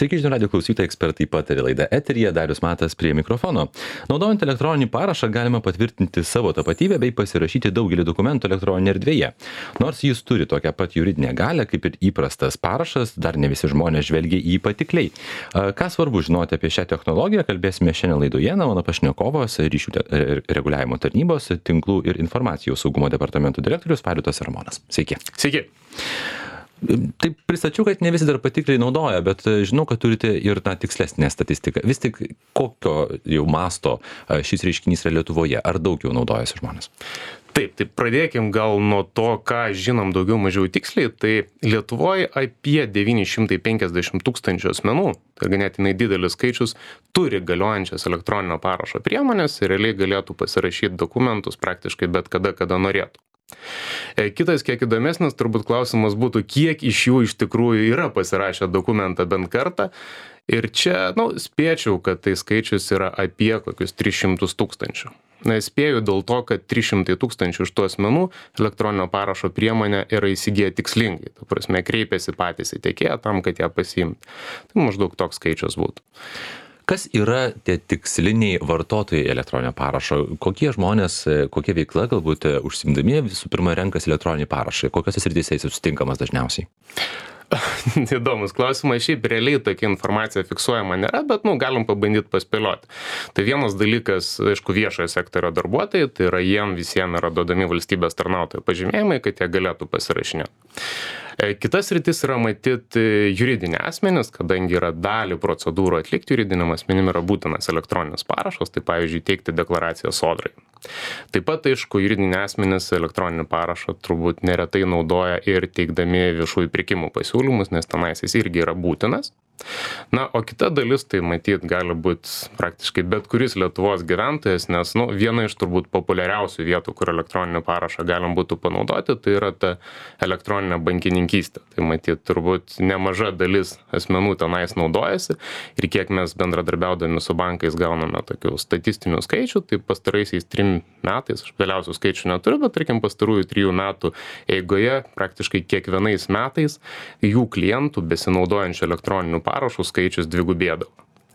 Sveiki, žinių radijo klausytojai, ekspertai pataria laida eteryje, Darius Matas prie mikrofono. Naudojant elektroninį parašą galima patvirtinti savo tapatybę bei pasirašyti daugelį dokumentų elektroninėje erdvėje. Nors jis turi tokią pat juridinę galią kaip ir įprastas parašas, dar ne visi žmonės žvelgia į jį patikliai. Ką svarbu žinoti apie šią technologiją, kalbėsime šiandien laidoje. Mano pašnekovas ryšių reguliavimo tarnybos, tinklų ir informacijos saugumo departamento direktorius Vaidotas Ramonas. Sveiki. Sveiki. Taip pristačiau, kad ne visi dar patikliai naudoja, bet žinau, kad turite ir tikslesnę statistiką. Vis tik kokio jau masto šis reiškinys yra Lietuvoje? Ar daug jau naudojasi žmonės? Taip, tai pradėkim gal nuo to, ką žinom daugiau mažiau tiksliai. Tai Lietuvoje apie 950 tūkstančių asmenų, tai ganėtinai didelis skaičius, turi galiojančias elektroninio parašo priemonės ir realiai galėtų pasirašyti dokumentus praktiškai bet kada, kada norėtų. Kitas kiek įdomesnis turbūt klausimas būtų, kiek iš jų iš tikrųjų yra pasirašę dokumentą bent kartą. Ir čia, spėčiau, kad tai skaičius yra apie kokius 300 tūkstančių. Spėju dėl to, kad 300 tūkstančių iš tų asmenų elektroninio parašo priemonę yra įsigiję tikslingai. Ta prasme, kreipiasi patys į tiekėją tam, kad ją pasiimti. Tai maždaug toks skaičius būtų. Kas yra tie tiksliniai vartotojai elektroninio parašo? Kokie žmonės, kokia veikla galbūt užsiimdami visų pirma renkasi elektroninį parašą? Kokiose srityse jis sutinkamas dažniausiai? Įdomus klausimas, šiaip realiai tokia informacija fiksuojama nėra, bet galim pabandyti paspėlioti. Tai vienas dalykas, aišku, viešojo sektorio darbuotojai, tai yra jiem visiems yra duodami valstybės tarnautojų pažymėjimai, kad jie galėtų pasirašinėti. Kitas rytis yra matyti juridiniai asmenys, kadangi yra dalį procedūrų atlikti juridiniam asmenim yra būtinas elektroninis parašas, tai pavyzdžiui teikti deklaraciją sodrai. Taip pat, aišku, juridiniai asmenys elektroninį parašą turbūt neretai naudoja ir teikdami viešųjų pirkimų pasiūlymus, nes tenais jis irgi yra būtinas. O kita dalis, tai matyt, gali būti praktiškai bet kuris Lietuvos gyventojas, nes viena iš turbūt populiariausių vietų, kur elektroninį parašą galim būtų panaudoti, tai yra ta elektroninė bankininkystė. Tai matyt, turbūt nemaža dalis asmenų tenais naudojasi ir kiek mes bendradarbiaudami su bankais gauname tokių statistinių skaičių, tai pastaraisiais 3 metais, aš vėliausių skaičių neturiu, bet tarkim pastarųjų 3 metų eigoje praktiškai kiekvienais metais jų klientų besinaudojančių elektroninių parašų skaičius dvigubėdavo.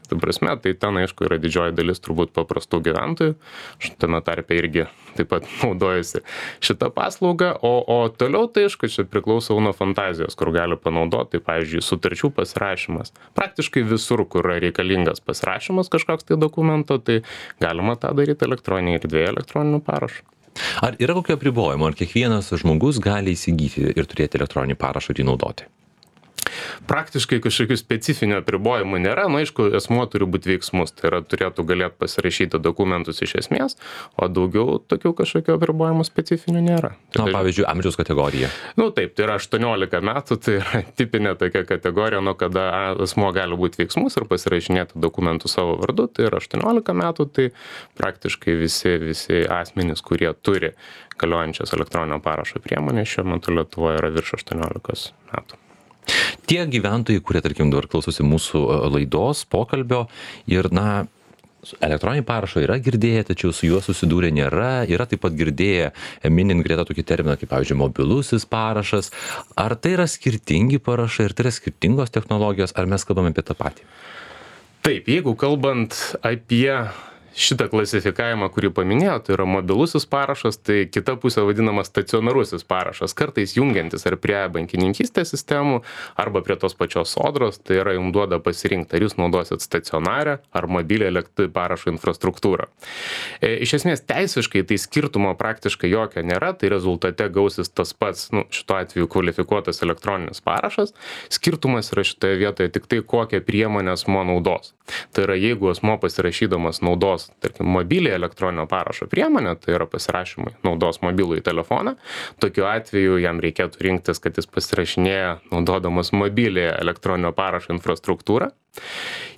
Tai prasme, tai ten aišku yra didžioji dalis turbūt paprastų gyventojų. Aš tame tarpe irgi taip pat naudojasi šitą paslaugą, o toliau tai aišku, čia priklauso nuo fantazijos, kur gali panaudoti, tai pavyzdžiui, sutarčių pasirašymas. Praktiškai visur, kur yra reikalingas pasirašymas kažkoks tai dokumento, tai galima tą daryti elektroninėje erdvėje elektroniniu parašu. Ar yra kokio apribojimo, ar kiekvienas žmogus gali įsigyti ir turėti elektroninį parašą ir jį naudoti? Praktiškai kažkokių specifinių apribojimų nėra, aišku, asmuo turi būti veiksmus, tai yra turėtų galėti pasirašyti dokumentus iš esmės, o daugiau tokių kažkokių apribojimų specifinių nėra. Pavyzdžiui, amžiaus kategorija. Taip, tai yra 18 metų, tai yra tipinė tokia kategorija, kada asmuo gali būti veiksmus ir pasirašinėti dokumentus savo vardu, tai yra 18 metų, tai praktiškai visi asmenys, kurie turi galiojančias elektroninio parašo priemonės, šiuo metu Lietuvoje yra virš 18 metų. Tie gyventojai, kurie, tarkim, dabar klausosi mūsų laidos, pokalbio ir, elektroninį parašą yra girdėję, tačiau su juo susidūrę nėra, yra taip pat girdėję, minint greta tokį terminą, kaip, pavyzdžiui, mobilusis parašas. Ar tai yra skirtingi parašai, ar tai yra skirtingos technologijos, ar mes kalbame apie tą patį? Taip, jeigu kalbant apie šitą klasifikavimą, kurį paminėjau, tai yra mobilusis parašas, tai kita pusė vadinamas stacionarusis parašas, kartais jungiantis ar prie bankininkystės sistemų, arba prie tos pačios sodros, tai yra jums duoda pasirinkti, ar jūs naudosit stacionarę ar mobilią parašo infrastruktūrą. Iš esmės teisiškai tai skirtumo praktiškai jokio nėra, tai rezultate gausis tas pats, šituo atveju kvalifikuotas elektroninis parašas. Skirtumas yra šitoje vietoje tik tai, kokią priemonę asmuo naudos. Tai yra, jeigu asmuo pasirašydamas naudos, tarkim, mobilią elektroninio parašo priemonę, tai yra pasirašymai naudos mobilųjį telefoną, tokiu atveju jam reikėtų rinktis, kad jis pasirašinėja naudodamas mobilią elektroninio parašo infrastruktūrą.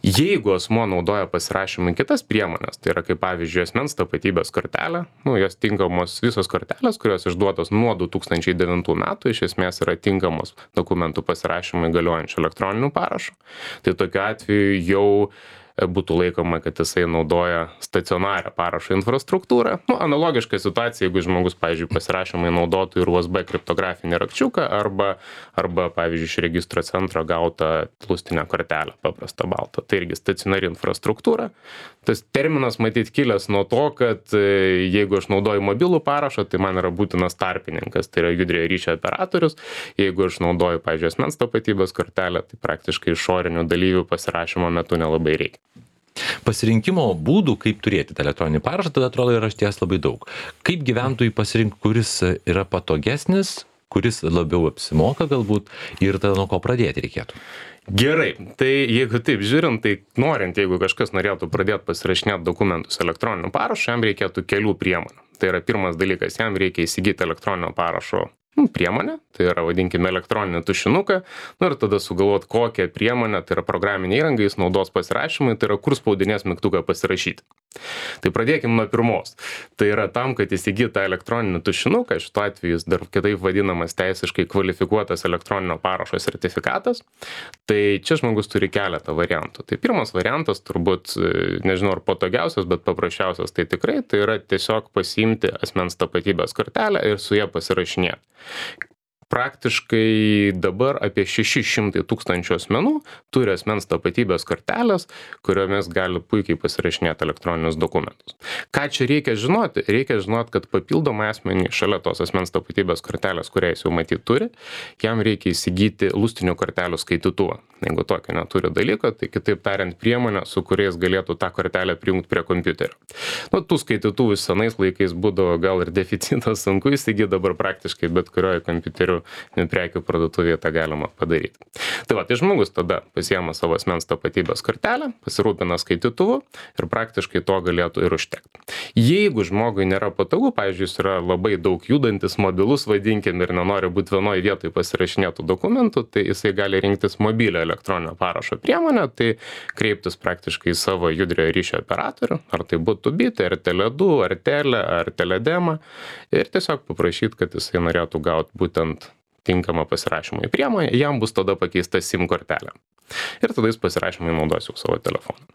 Jeigu asmuo naudoja pasirašymui kitas priemonės, tai yra kaip pavyzdžiui asmens tapatybės kortelė, jos tinkamos visos kortelės, kurios išduotos nuo 2009 metų, iš esmės yra tinkamos dokumentų pasirašymui galiojančių elektroninių parašų. Tai tokiu atveju jau būtų laikoma, kad jisai naudoja stacionarią parašo infrastruktūrą. Analogiška situacija, jeigu žmogus, pavyzdžiui, pasirašymai naudotų ir USB kriptografinį rakčiuką arba, pavyzdžiui, iš registro centro gautą lustinę kortelę, paprastą baltą. Tai irgi stacionari infrastruktūra. Tas terminas matyt kilęs nuo to, kad jeigu aš naudoju mobilų parašą, tai man yra būtinas tarpininkas, tai yra judriojo ryšio operatorius. Jeigu aš naudoju, pavyzdžiui, asmens tapatybės kortelę, tai praktiškai išorinių dalyvių pasirašymo metu nelabai reikia. Pasirinkimo būdų, kaip turėti tą elektroninį parašą, tada atrodo yra išties labai daug. Kaip gyventojai pasirinkti, kuris yra patogesnis, kuris labiau apsimoka galbūt ir tada nuo ko pradėti reikėtų? Gerai, tai jeigu taip žiūrint, tai norint, jeigu kažkas norėtų pradėti pasirašinėti dokumentus elektroniniu parašu, jam reikėtų kelių priemonių. Tai yra pirmas dalykas, jam reikia įsigyti elektroninio parašo priemonę, tai yra vadinkime elektroninį tušinuką, ir tada sugalvot kokią priemonę, tai yra programinė įranga, jis naudos pasirašymui, tai yra kur spaudinės mygtuką pasirašyti. Tai pradėkime nuo pirmos. Tai yra tam, kad įsigyt tą elektroninį tušinuką, šituo atveju jis dar kitaip vadinamas teisiškai kvalifikuotas elektroninio parašo sertifikatas, tai čia žmogus turi keletą variantų. Tai pirmas variantas turbūt, nežinau ar patogiausias, bet paprasčiausias tai tikrai, tai yra tiesiog pasiimti asmens tapatybės kortelę ir su ją pasirašinėti. Praktiškai dabar apie 600 000 asmenų turi asmens tapatybės kortelės, kuriomis gali puikiai pasirašinėti elektroninius dokumentus. Ką čia reikia žinoti? Reikia žinoti, kad papildomai asmenį šalia tos asmens tapatybės kortelės, kurią jis jau matyt turi, jam reikia įsigyti lustinių kortelių skaitytuvą. Jeigu tokio neturi dalyko, tai kitaip tariant priemonę, su kuriais galėtų tą kortelę prijungti prie kompiuterio. Tų skaitytuvų senais laikais būdavo gal ir deficitas, sunku įsigyti, dabar praktiškai bet kurioje kompiuterių prekių parduotuvėje tą galima padaryti. Tai žmogus tada pasiema savo asmens tapatybės kortelę, pasirūpina skaitytuvu ir praktiškai to galėtų ir užtekti. Jeigu žmogui nėra patogu, pavyzdžiui, jis yra labai daug judantis, mobilus, vadinkim, ir nenori būti vienoje vietoje pasirašinėtų dokumentų, tai jisai gali rinktis mobilio elektroninio parašo priemonę, tai kreiptis praktiškai į savo judriojo ryšio operatorių, ar tai būtų Bit, ar Tele2, ar Tele, ar Teledema, ir tiesiog paprašyti, kad jisai norėtų gauti būtent tinkamą pasirašymą į priemonę, jam bus tada pakeista SIM kortelė. Ir tada jis pasirašymai naudos jau savo telefoną.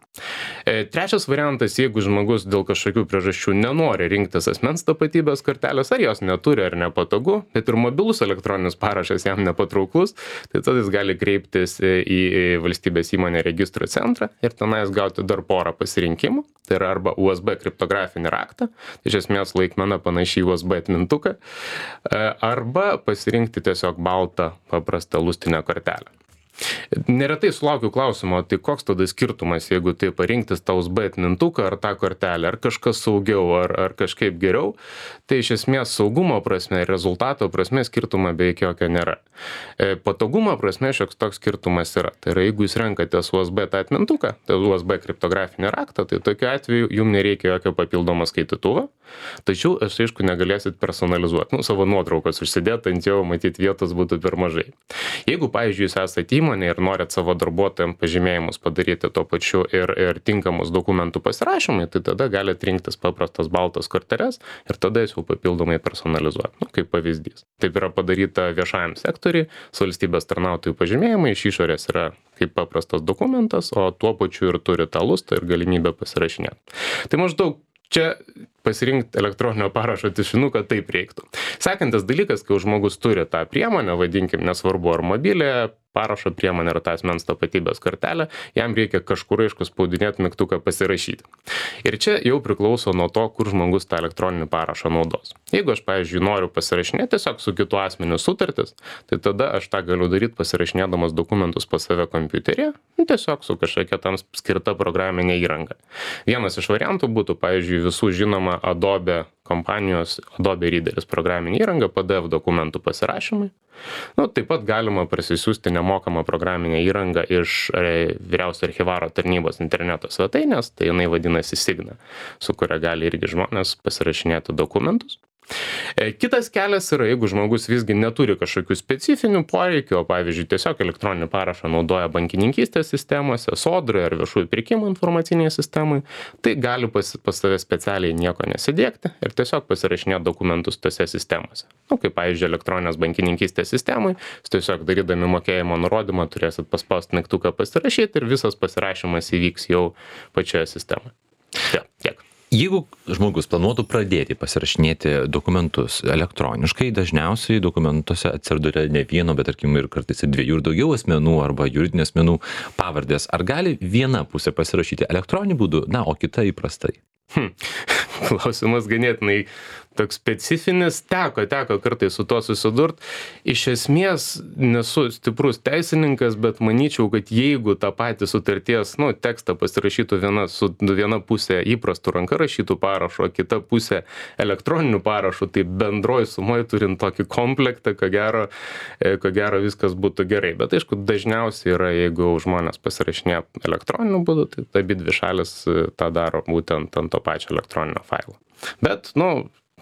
Trečias variantas, jeigu žmogus dėl kažkokių priežasčių nenori rinktis asmens tapatybės kortelės, ar jos neturi, ar nepatogu, bet ir mobilus elektroninis parašas jam nepatrauklus, tai tada jis gali kreiptis į valstybės įmonę registrų centrą ir tenais gauti dar porą pasirinkimų. Tai yra arba USB kriptografinį raktą, tai iš esmės laikmena panašiai USB atmintuką, arba pasirinkti tiesiog baltą paprastą lustinę kortelę. Neretai sulaukiu klausimo, tai koks tada skirtumas, jeigu tai parinktis tą USB atmintuką ar tą kortelę, ar kažkas saugiau, ar kažkaip geriau, tai iš esmės saugumo prasme ir rezultato prasme skirtumo beveik jokio nėra. Patogumo prasme šioks toks skirtumas yra. Tai yra, jeigu jūs renkatės USB tą atmintuką, tai USB kriptografinį raktą, tai tokiu atveju jums nereikia jokio papildomo skaitytuvo, tačiau aš aišku negalėsit personalizuoti, savo nuotraukos užsidėti ant jo, matyt vietos būtų per mažai. Jeigu, pavyzdžiui, jūs esate įmonė ir norit savo darbuotojams pažymėjimus padaryti tuo pačiu ir tinkamus dokumentų pasirašymai, tai tada galite rinktis paprastas baltas korteles ir tada jūs jau papildomai personalizuoti, kaip pavyzdys. Taip yra padaryta viešajam sektoriui, su valstybės tarnautojų pažymėjimai iš išorės yra kaip paprastas dokumentas, o tuo pačiu ir turi tą lustą ir galimybę pasirašinėti. Tai maždaug čia pasirinkti elektroninio parašo tušinuką taip reiktų. Sekantis dalykas, kai žmogus turi tą priemonę, vadinkim, nesvarbu ar mobilę parašo priemonę ar tą asmens tapatybės kortelę, jam reikia kažkur aišku spaudinėti mygtuką pasirašyti. Ir čia jau priklauso nuo to, kur žmogus tą elektroninį parašą naudos. Jeigu aš, pavyzdžiui, noriu pasirašinėti tiesiog su kitu asmeniu sutartis, tai tada aš tą galiu daryti pasirašinėdamas dokumentus pas save kompiuteryje, tiesiog su kažkokia tam skirta programinė įranga. Vienas iš variantų būtų, pavyzdžiui, visų žinoma Adobe kompanijos Adobe Readeris programinė įranga, PDF dokumentų pasirašymai. Taip pat galima parsisiųsti nemokamą programinę įrangą iš vyriausio archyvaro tarnybos interneto svetainės, tai jinai vadinasi Signa, su kuria gali irgi žmonės pasirašinėti dokumentus. Kitas kelias yra, jeigu žmogus visgi neturi kažkokių specifinių poreikių, o pavyzdžiui, tiesiog elektroninį parašą naudoja bankininkystės sistemose, sodrai ar viešųjų pirkimų informaciniai sistemai, tai gali pas save specialiai nieko nesidėkti ir tiesiog pasirašinėti dokumentus tose sistemose. Kaip pavyzdžiui, elektroninės bankininkystės sistemai, tiesiog darydami mokėjimo nurodymą turėsit paspausti mygtuką pasirašyti ir visas pasirašymas įvyks jau pačioje sistemoje. Tiek. Jeigu žmogus planuotų pradėti pasirašinėti dokumentus elektroniškai, dažniausiai dokumentuose atsiduria ne vieno, bet tarkim ir kartais ir dviejų ir daugiau asmenų arba juridinių asmenų pavardės. Ar gali viena pusė pasirašyti elektroniniu būdu, o kita įprastai? Klausimas ganėtinai toks specifinis, teko kartais su to susidurt. Iš esmės nesu stiprus teisininkas, bet manyčiau, kad jeigu tą patį sutarties tekstą pasirašytų viena pusė įprastų ranka rašytų parašo, o kita pusė elektroninių parašų, tai bendroj sumoj turint tokį komplektą, ko gero viskas būtų gerai. Bet aišku, dažniausiai yra, jeigu žmonės pasirašinėja elektroniniu būdu, tai abi dvi šalis tą daro būtent ant to pačio elektroninio failo. Bet,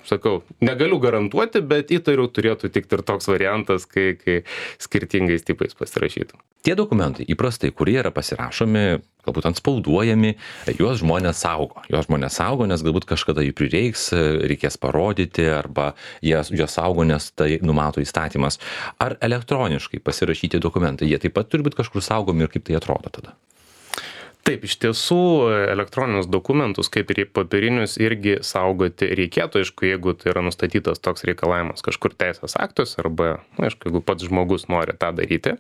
sakau, negaliu garantuoti, bet įtariu turėtų tikti ir toks variantas, kai skirtingais tipais pasirašytų. Tie dokumentai įprastai, kurie yra pasirašomi, galbūt antspauduojami, juos žmonės saugo, nes galbūt kažkada jų prireiks, reikės parodyti, arba juos saugo, nes tai numato įstatymas. Ar elektroniškai pasirašyti dokumentai, jie taip pat turi būti kažkur saugomi ir kaip tai atrodo tada? Taip, iš tiesų elektroninius dokumentus, kaip ir papirinius, irgi saugoti reikėtų, aišku, jeigu tai yra nustatytas toks reikalavimas kažkur teisės aktuose arba, aišku, jeigu pats žmogus nori tą daryti.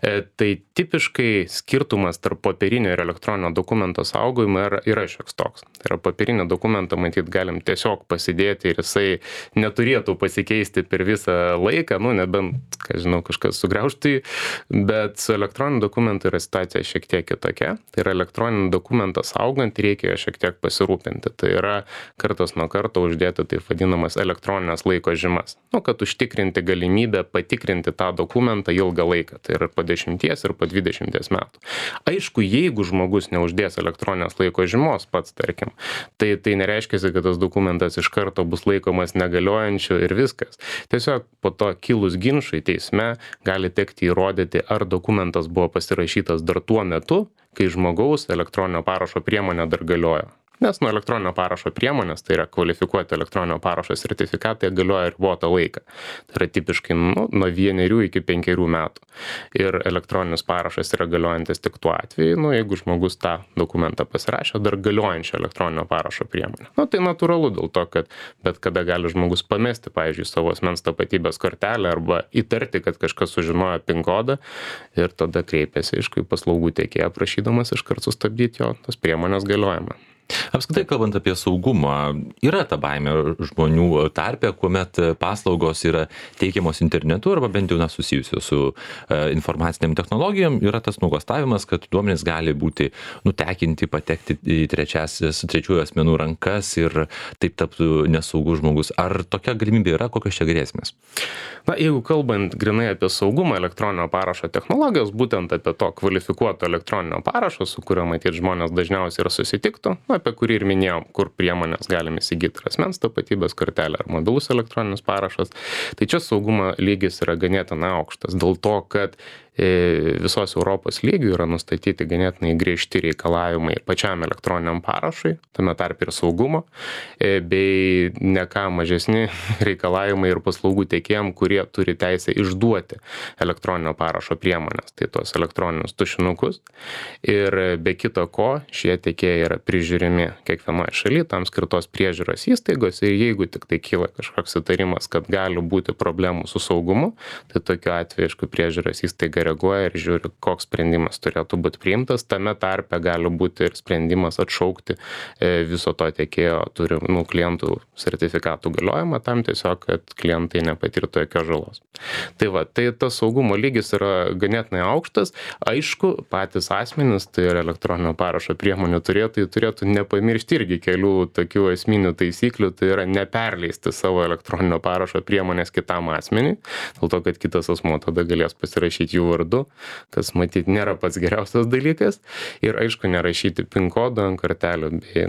Tai tipiškai skirtumas tarp papirinio ir elektroninio dokumento saugojimo yra šioks toks. Tai yra papirinį dokumentą, matyt, galim tiesiog pasidėti ir jisai neturėtų pasikeisti per visą laiką, nebent, kažkas sugraužtų, bet su elektroniniu dokumentu yra situacija šiek tiek kitokia. Tai yra elektroninį dokumentą saugant reikia šiek tiek pasirūpinti. Tai yra kartas nuo karto uždėti taip vadinamas elektroninės laiko žymas. Kad užtikrinti galimybę patikrinti tą dokumentą ilgą laiką. Tai yra po 10 ir po 20 metų. Aišku, jeigu žmogus neuždės elektroninės laiko žymos pats, tarkim, tai nereiškia, kad tas dokumentas iš karto bus laikomas negaliojančiu ir viskas. Tiesiog po to kilus ginčui teisme gali tekti įrodyti, ar dokumentas buvo pasirašytas dar tuo metu, kai žmogaus elektroninio parašo priemonė dar galiojo. Nes elektroninio parašo priemonės, tai yra kvalifikuoti elektroninio parašo sertifikatai, galioja ribotą laiką. Tai yra tipiškai nuo 1 iki 5 metų. Ir elektroninis parašas yra galiojantis tik tuo atveju, jeigu žmogus tą dokumentą pasirašė dar galiojančią elektroninio parašo priemonę. Tai natūralu dėl to, kad bet kada gali žmogus pamesti, pavyzdžiui, savo asmens tapatybės kortelę arba įtarti, kad kažkas sužinojo PIN kodą ir tada kreipiasi, aišku, į paslaugų tiekėją prašydamas iškart sustabdyti jo tos priemonės galiojimą. Apskritai, kalbant apie saugumą, yra ta baimė žmonių tarpe, kuomet paslaugos yra teikiamos internetu arba bent jau susijusios su informaciniam technologijom, yra tas nuogąstavimas, kad duomenys gali būti nutekinti, patekti į trečiųjų asmenų rankas ir taip taptų nesaugus žmogus. Ar tokia galimybė yra, kokios čia grėsmės? Jeigu kalbant grinai apie saugumą elektroninio parašo technologijos, būtent apie to kvalifikuoto elektroninio parašo, su kuriuo matyt žmonės dažniausiai ir susitiktų, apie kurį ir minėjom, kur priemonės galim įsigyti asmens tapatybės kortelę ar mobilus elektroninis parašas, tai čia saugumo lygis yra ganėtinai aukštas, dėl to, kad visos Europos lygių yra nustatyti ganėtinai griežti reikalavimai pačiam elektroniniam parašui, tame tarp ir saugumo, bei ne ką mažesni reikalavimai ir paslaugų teikėjam, kurie turi teisę išduoti elektroninio parašo priemonės, tai tos elektroninius tušinukus. Ir be kito ko, šie teikėjai yra prižiūrimi kiekvienoje šalyje, tam skirtos priežiūros įstaigos ir jeigu tik tai kyla kažkoks įtarimas, kad gali būti problemų su saugumu, tai tokiu atveju, aišku, priežiūros įstaiga reaguoja ir žiūri, koks sprendimas turėtų būti priimtas. Tame tarpe gali būti ir sprendimas atšaukti viso to tiekėjo turimų klientų sertifikatų galiojimą tam tiesiog, kad klientai nepatirtų jokios žalos. Tai tas saugumo lygis yra ganėtinai aukštas. Aišku, patys asmenys, tai ir elektroninio parašo priemonių turėtų nepamiršti irgi kelių tokių esminių taisyklių, tai yra neperleisti savo elektroninio parašo priemonės kitam asmeniui, dėl to, kad kitas asmuo tada galės pasirašyti jų vardu, kas matyt nėra pats geriausias dalykas. Ir aišku, nerašyti PIN kodo ant kortelių, bei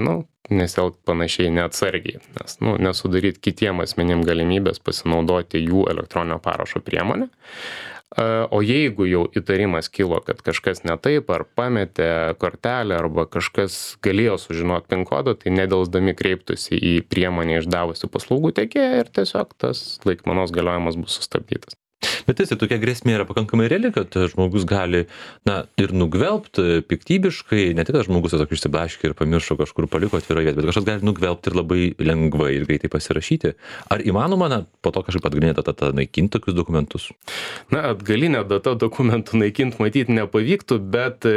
nesielgti panašiai neatsargiai, nes nesudaryti kitiem asmenim galimybės pasinaudoti jų elektroninio parašo priemonę. O jeigu jau įtarimas kilo, kad kažkas ne taip, ar pametė kortelę, arba kažkas galėjo sužinoti PIN kodą, tai nedelsdami kreiptųsi į priemonę išdavusių paslaugų tiekėją ir tiesiog tas laikmenos galiojimas bus sustabdytas. Bet tai tokia grėsmė yra pakankamai reali, kad žmogus gali, ir nugvelbti piktybiškai, ne tik, kad žmogus tiesiog išsiblaškė ir pamiršo kažkur paliko atvirą vietą, bet kažkas gali nugvelbti ir labai lengvai ir greitai pasirašyti. Ar įmanoma, po to kažkaip atgalinė data naikinti tokius dokumentus? Atgalinė data dokumentų naikinti matyti nepavyktų, bet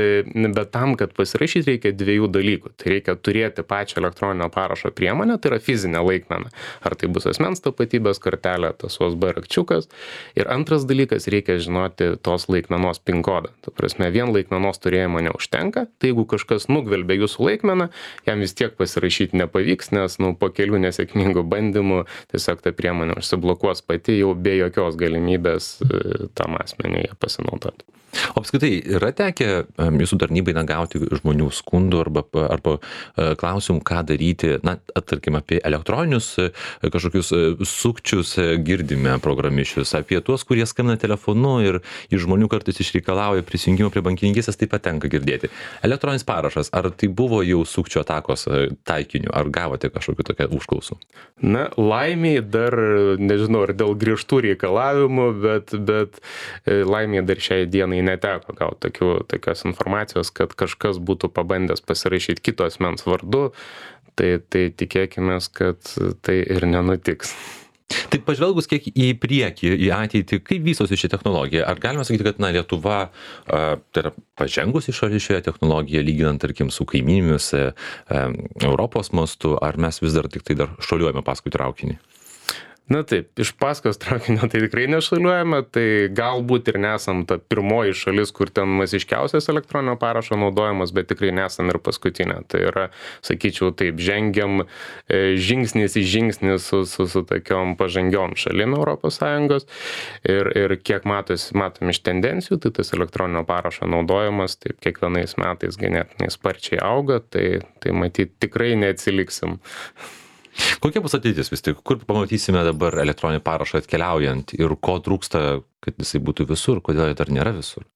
tam, kad pasirašyti, reikia dviejų dalykų. Tai reikia turėti pačią elektroninio parašo priemonę, tai yra fizinė laikmena. Ar tai bus asmens tapatybės kortelė, tas USB rakčiukas. Ir antras dalykas, reikia žinoti tos laikmenos PIN kodą. Ta prasme, vien laikmenos turėjimo neužtenka. Tai jeigu kažkas nugvelbė jūsų laikmeną, jam vis tiek pasirašyti nepavyks, nes po kelių nesėkmingų bandymų tiesiog ta priemonė užsiblokuos pati jau be jokios galimybės tam asmeniui pasinaudoti. O apskritai, yra tekę jūsų tarnybai gauti žmonių skundų arba klausimų, ką daryti, tarkim, apie elektroninius kažkokius sukčius girdime programišius, apie tuos, kurie skambina telefonu ir iš žmonių kartais išreikalauja prisijungimo prie bankininkystės, taip pat tenka girdėti. Elektroninis parašas, ar tai buvo jau sukčių atakos taikiniu, ar gavote kažkokių tokią užklausų? Laimiai dar, nežinau, ar dėl griežtų reikalavimų, bet laimiai dar šiai dienai neteko gauti tokios informacijos, kad kažkas būtų pabandęs pasirašyti kito asmens vardu, tai tikėkime, kad tai ir nenutiks. Tai pažvelgus kiek į priekį, į ateitį, kaip vystosi ši technologija? Ar galima sakyti, kad Lietuva tai yra pažengusi šalis šioje technologijoje, lyginant, tarkim, su kaimynėmis Europos mastu, ar mes vis dar tik tai dar šuoliuojame paskui traukinį? Taip, iš paskos traukinio tai tikrai nešuoliuojame, tai galbūt ir nesam ta pirmoji šalis, kur ten masiškiausias elektroninio parašo naudojimas, bet tikrai nesam ir paskutinė. Tai yra, sakyčiau, taip, žengiam žingsnis į žingsnį su tokiom pažangiom šalim ES ir kiek matom iš tendencijų, tai tas elektroninio parašo naudojimas taip kiekvienais metais ganėtinai sparčiai auga, tai matyt tikrai neatsiliksim. Kokia bus ateitis vis tik? Kur pamatysime dabar elektroninį parašą atkeliaujant ir ko trūksta, kad jisai būtų visur, kodėl jis dar nėra visur?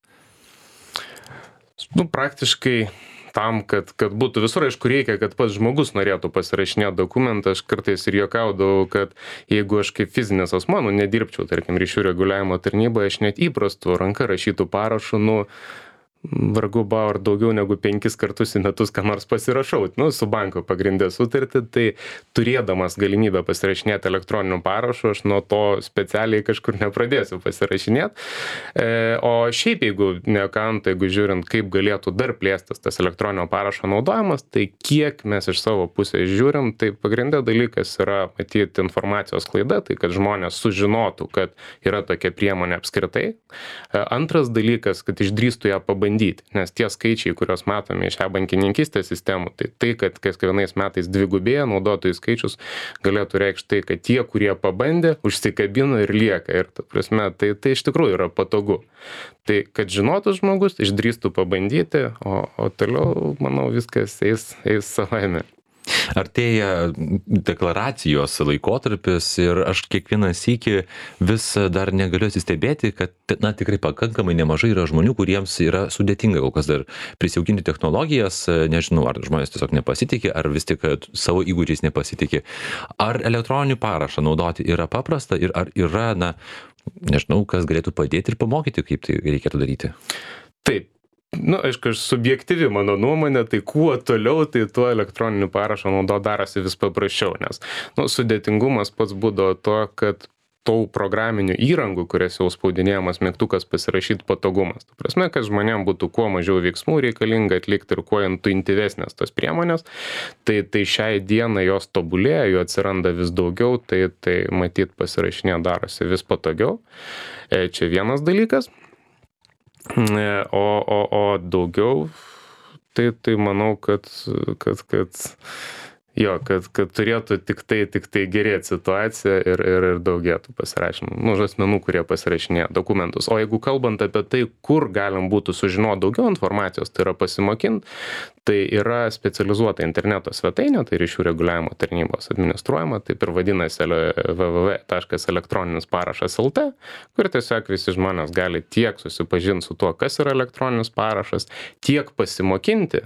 Praktiškai tam, kad būtų visur, aišku, reikia, kad pats žmogus norėtų pasirašinėti dokumentą. Aš kartais ir juokaudavau, kad jeigu aš kaip fizinis asmuo, nedirbčiau, tarkim, ryšių reguliavimo tarnyboje, aš net įprastų ranka rašytų parašų, vargu bau ar daugiau negu 5 kartus į metus ką nors pasirašau, su banko pagrindė sutartį, tai turėdamas galimybę pasirašinėti elektroniniu parašu, aš nuo to specialiai kažkur nepradėsiu pasirašinėti. O šiaip, jeigu jeigu žiūrint, kaip galėtų dar plėstis tas elektroninio parašo naudojimas, tai kiek mes iš savo pusės žiūrim, tai pagrindė dalykas yra matyti informacijos klaida, tai kad žmonės sužinotų, kad yra tokia priemonė apskritai. Antras dalykas, kad išdrįstų ją pabandyti, nes tie skaičiai, kuriuos matome iš e-bankininkystės sistemų, tai kad kiekvienais metais dvigubėja naudotojų skaičius, galėtų reikšti tai, kad tie, kurie pabandė, užsikabino ir lieka. Ir ta prasme, tai iš tikrųjų yra patogu. Tai, kad žinotų žmogus, išdrįstų pabandyti, o toliau, manau, viskas eis savaime. Artėja deklaracijos laikotarpis ir aš kiekvieną sykį vis dar negaliu atsistebėti, kad tikrai pakankamai nemažai yra žmonių, kuriems yra sudėtinga kol kas dar prisijaukinti technologijas, nežinau, ar žmonės tiesiog nepasitikė, ar vis tik savo įgūdžiais nepasitikė. Ar elektroninį parašą naudoti yra paprasta ir ar yra, nežinau, kas galėtų padėti ir pamokyti, kaip tai reikėtų daryti? Taip. Aišku, subjektyvi mano nuomonė, tai kuo toliau, tai tuo elektroniniu parašo naudoti darosi vis paprasčiau, nes sudėtingumas pats būdavo to, kad tų programinių įrangų, kurias jau spaudinėjamas mygtukas pasirašyti patogumas. Tai prasme, kad žmonėms būtų kuo mažiau veiksmų reikalinga atlikti ir kuo intuityvesnės tos priemonės, tai šiai dienai jos tobulėja, jų atsiranda vis daugiau, tai matyt pasirašinė darosi vis patogiau. Čia vienas dalykas. O daugiau, tai manau, kad Jo, kad turėtų tik tai gerėti situacija ir daugėtų pasirašymų, nu, asmenų, kurie pasirašinėja dokumentus. O jeigu kalbant apie tai, kur galim būtų sužinoti daugiau informacijos, tai yra pasimokinti, tai yra specializuota interneto svetainė, tai ryšių reguliavimo tarnybos administruojama, taip ir vadinasi www.elektroninis-parašas.lt, kur tiesiog visi žmonės gali tiek susipažinti su tuo, kas yra elektroninis parašas, tiek pasimokinti,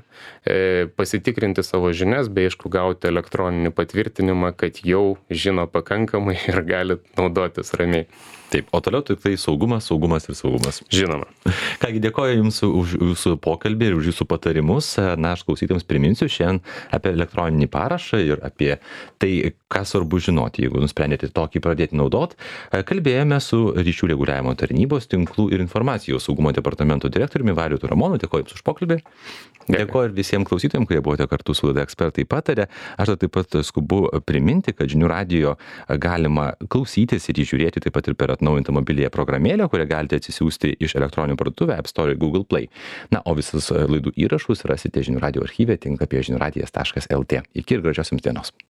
pasitikrinti savo žinias, bei aišku gauti elektroninį patvirtinimą, kad jau žino pakankamai ir gali naudotis ramiai. Taip, o toliau tik tai saugumas, saugumas ir saugumas. Žinoma. Kągi, dėkoju Jums už Jūsų pokalbį ir už Jūsų patarimus. Na, aš klausytams priminsiu šiandien apie elektroninį parašą ir apie tai, ką svarbu žinoti, jeigu nusprendėte tokį pradėti naudot. Kalbėjome su ryšių reguliavimo tarnybos, tinklų ir informacijos saugumo departamento direktoriumi Vaidotu Ramonu. Dėkoju Jums už pokalbį. Dėkoju ir visiems klausytojams, kurie buvote kartu su laida Ekspertai pataria. Aš taip pat skubu priminti, kad Žinių radijo galima klausytis ir žiūrėti taip pat ir per atnaujintą mobiliąją programėlę, kurią galite atsisiųsti iš elektroninių parduotuvę App Store ir Google Play. Na, o visus laidų įrašus rasite Žinių radijo archyve tinklapyje žiniųradijas.lt. Iki ir gražios Jums dienos.